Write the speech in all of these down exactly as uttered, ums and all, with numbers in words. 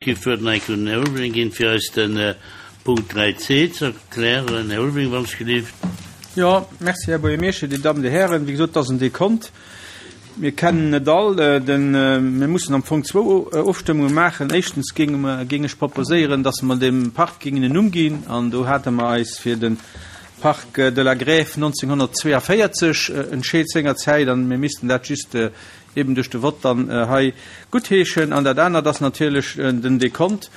Ech wëll nach eng Kéier un den Här Ulveling ginn, fir eis de Punkt dräi C ze erklären. Här Ulveling, wann ech gelift. Jo, merci, Här Buergermeeschter, Dir Dammen, Dir Hären. Wéi gesot, et ass en Dekont. Mir kennen et all. Den, mir mussen am Fong zwou Ofstëmmunge maachen. Éischtens géinge mer, géing ech proposéieren, dass mer dem Park géingen en Numm ginn. An do hate mer eis fir de Parc de la Grève nonzénghonnertzweeavéierzeg entscheet sengerzäit. An mir missten dat just eben duerch de Vott dann hei guttheeschen. An dat anert ass natierlech den Dekont,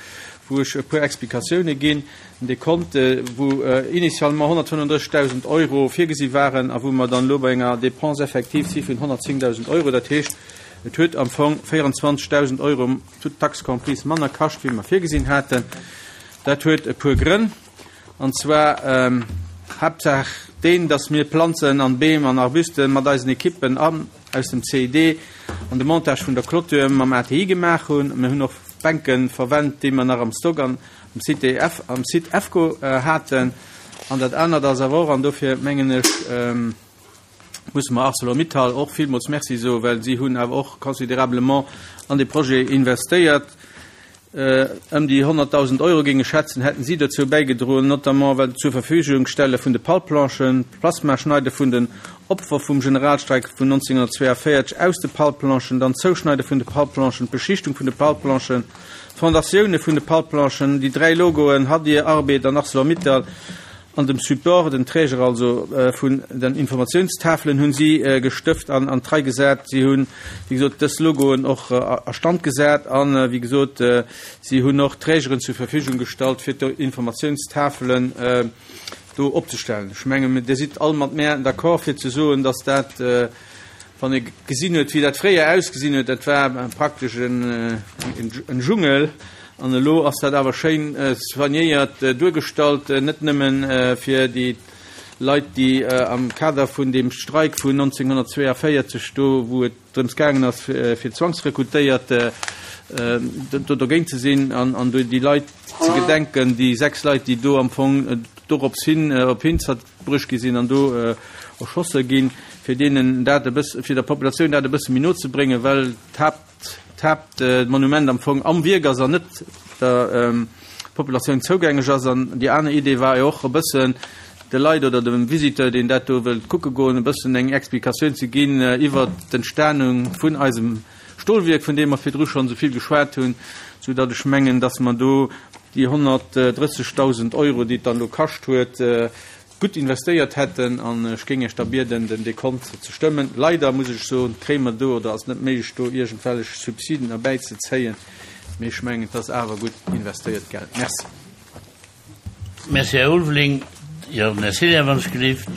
wou ech e puer Explikatioune ginn. Den Dekont, wou initialement honnertfënnefundrëssigdausend Euro virgesi waren a wou mer dann elo bei enger Dépense effective si vun honnertzéngdausend Euro. Dat heescht, et huet am Fong véierundzwanzigdausend Euro toutes taxes comprises manner kascht, wéi mer virgesinn haten. Dat huet e puer Grënn, an zwar Haaptsaach deen, dass mir Planzen an Beem an Arbusten mat eisen Ekippen an aus dem C I D an de Montage vun der Clôture mam A T I gemaach hunn. Mir hunn och Bänke verwennt, déi mer nach am Stock an am Site F, am Site E F C O haten. An dat anert ass awer och, an dofir mengen ech, musse mer ArcelorMittal och villmools Merci soen, well si hunn awer och considérablement an de Projet investéiert. Ëm déi honnertdausend Euro géing ech schätzen, hätten si dozou bäigedroen, notamment well zur Verfügung stelle vun de Palplanchen, d'Plasmaschneide vun den Opfer vum Generalstreik vun neunzehnhundertzweiundvierzig aus de Palplanchen, dann d'Zouschneide vun de Palplanchen, d'Beschichtung vun de Palplanchen, d'Fondatioune vun de Palplanchen, déi dräi Logoen, Hadir, Arbed an ArcelorMittal, an dem Support, den Träger also vun den Informationstafelen hunn si gestëft an an d'Rei gesat. Si hunn, wéi gesot, dës Logoen och a Stand gesat an, wéi gesot, si hunn och Trägeren zur Verfügung gestallt, fir d'Informationstafelen do opzestellen. Ech menge, Dir sidd all mat mär d'accord, fir ze soen, dass dat, wann ee gesinn huet, wéi dat fréier ausgesinn huet, dat war praktesch en, en Dschungel. An elo ass dat awer schéin soignéiert duergestallt, net nëmmen fir déi Leit, déi am Kader vun dem Streik vun neunzehnhundertzweiundvierzig, do wou et drëms gaangen ass, fir zwangsrekrutéiert do dogéint ze sinn an, an déi Leit ze gedenken, déi sechs Leit, déi do am Fong dorops hin op Hinzert bruecht gi sinn an do erschosse ginn, fir deenen dat e bëssen, fir der Populatioun dat e bësse méi no ze bréngen, well d'Haupt, d'Hauptmonument am Fong am Wierk ass an net der Populatioun zougängeg ass. An déi aner Idee war jo och e bëssen de Leit oder dem Visiteur, deen dat do wëllt kucke goen, e bëssen eng Explikatioun ze ginn iwwer d'Entstehung vun eisem Stolwierk, vun deem mer virdru schonn esou vill geschwat hunn, sou datt ech mengen, datt mer do déi honnertdrëssigdausend Euro, déi et dann elo kascht huet, gutt investéiert hätten. An ech géing iech da bieden, den Dekont ze stëmmen. Leider muss ech soen, kréie mer do oder ass net méiglech, do iergendwelch Subsiden erbäizezéien. Mee ech mengen, et ass awer gutt investéiert Geld. Merci. Merci, Här Ulveling. Jo, den Här Cillien, wann ech gelift.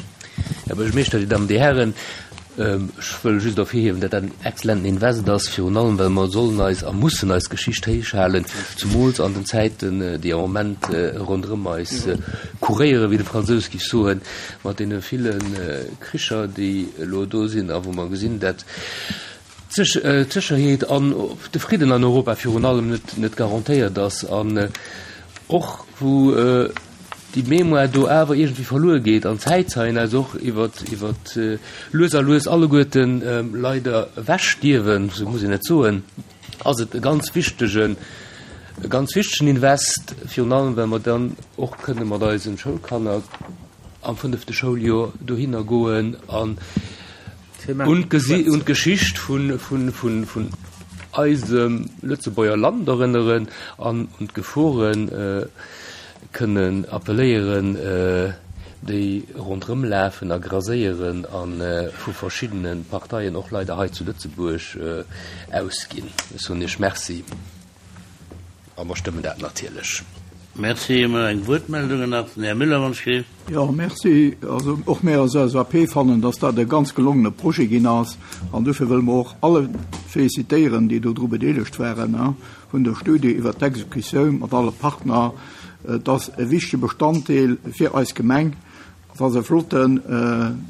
Här Buergermeeschter, Dir Dammen, Dir Hären, ech wëll just ervirhiewen, datt dat en exzellenten Invest ass, virun allem, well mer sollen eis a mussen eis Geschicht héichhalen, zumools an den Zäiten, déi am Moment ronderëm eis kuréieren, wéi de Fransous géif soen, mat deene ville Kricher, déi elo do sinn a wou mer gesinn, datt d'Sécherheet an de Fridden an Europa virun allem net, net garantéiert ass an och wou déi Mémoire do awer iergendwéi verluer geet an Zäitzeien eis och iwwer, iwwer lues a lues alleguerten leider ewechstierwen, sou muss een et soen, ass et e ganz wichtegen, e ganz wichtegen Invest, virun allem well mer dann och kënne mat eisen Schoulkanner am fënnefte Schouljoer dohinner goen an un d'Geschicht vun, vun, vun, vun eisem Lëtzebuerger Land erënneren an un d'Geforen kënnen appelléieren, déi ronderëm lafen a graséieren an vu verschiddene Parteien och leider hei zu Lëtzebuerg ausginn. Ech soen Iech Merci a mer stëmmen dat natierlech. Merci. Hu mer eng Wuertmeldung nach? Den Här Müller, wann ech gelift. Jo, merci. Also och mir als L S A P fannen, dass dat e ganz gelongene Projet ginn ass. An dofir wëlle mer och alle félicitéieren, déi do dru bedeelegt waren, hein, vun der Studie iwwer d'Exekutioun mat alle Partner. Et ass e wichtege Bestanddeel fir eis Gemeng. Et ass e flotten,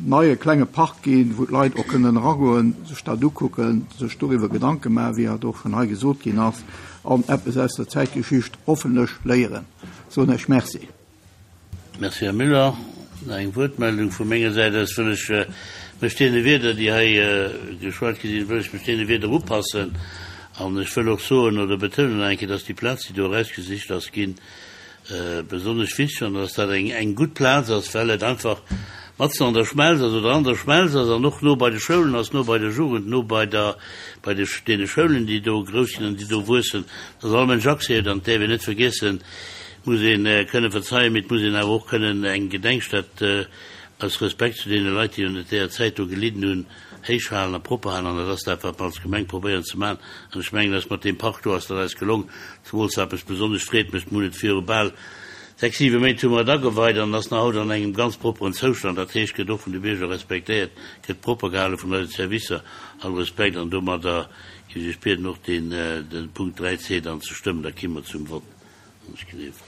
neie klenge Park ginn, wou d'Leit och kënnen eragoen, sech dat ukucken, sech doriwwer Gedanke maachen, wéi dat och schonn hei gesot ginn ass, an eppes aus der Zäitgeschicht hoffentlech léieren. Soen ech Merci. Merci, Här Müller. Nach eng Wuertmeldung vu menger Säit aus wëll ech mech deene Wierder, déi hei geschwat gi sinn, wëll ech mech deene Wierder upassen An ech wëll och soen oder betounen nach eng Kéier, dass déi Plaz, déi do erausgesicht ass ginn, besonnesch wichteg an dass dat eng, eng gutt Plaz ass, well et einfach matzen an der Schmelz ass oder an der Schmelz ass an och no bei de Schoulen ass, no bei der Jugend, no bei der, bei de, deene Schoulen, déi do grouss ginn an déi do wuessen, dass all Mënsch Accès huet. An et däerf een net vergiessen, et muss ee kënne verzeien, mee et muss een awer och kënnen eng Gedenkstätt aus Respekt zu deene Leit, déi ënnert deeër Zäit do gelidden hunn, héich halen a propper halen. An dat ass dat, wat mer als Gemeng probéieren ze maachen. An ech mengen, dass mat deem Park do ass dat eis gelong. Zemools wat mech besonnesch freet mécht, mir hunn et viru bal sechs, siwe Méint hu mer et ageweit an et ass nach haut an engem ganz propperen Zoustand. Dat heescht, gëtt och vun de Bierger respektéiert, gëtt propper gehale vun eise Servicer. All Respekt. An domadder géif ech Iech bieden, och deen, de Punkt dräi C dann ze stëmmen. Da ki mer zum Vott. Wann ech gleef.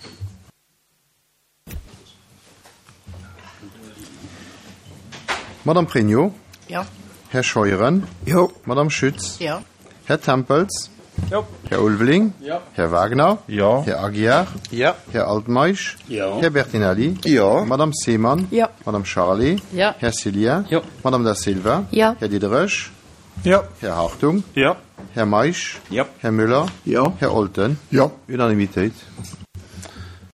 Madame Pregno. Jo. Här Scheuren. Jo. Madame Schütz. Jo. Här Tempels. Jo. Här Ulveling. Jo. Här Wagner. Jo. Här Aguiar. Jo. Här Altmeisch. Jo. Här Bertinelli. Jo. Madame Seemann. Jo. Madame Charlé. Jo. Här Cillien. Jo. Madame Da Silva. Jo. Här Diderich. Jo. Här Hartung. Jo. Här Meisch. Jo. Här Müller. Jo. Här Olten. Jo. Unanimitéit.